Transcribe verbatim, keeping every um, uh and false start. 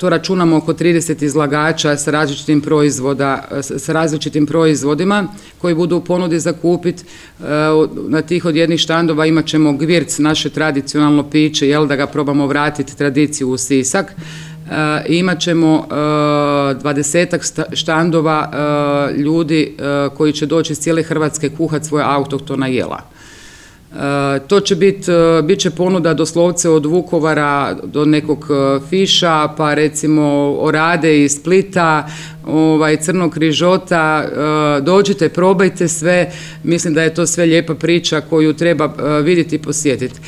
To računamo oko trideset izlagača sa različitim proizvoda, sa različitim proizvodima koji budu u ponudi za kupiti. Na tih od jednih štandova imat ćemo gvirc, naše tradicionalno piće, jel, da ga probamo vratiti tradiciju u Sisak. I imat ćemo dvadesetak štandova ljudi koji će doći iz cijele Hrvatske kuhati svoja autohtona jela. To će biti, bit će ponuda doslovce od Vukovara do nekog Fiša, pa recimo orade iz Splita, ovaj, crnog rižota. Dođite, probajte sve, mislim da je to sve lijepa priča koju treba vidjeti i posjetiti.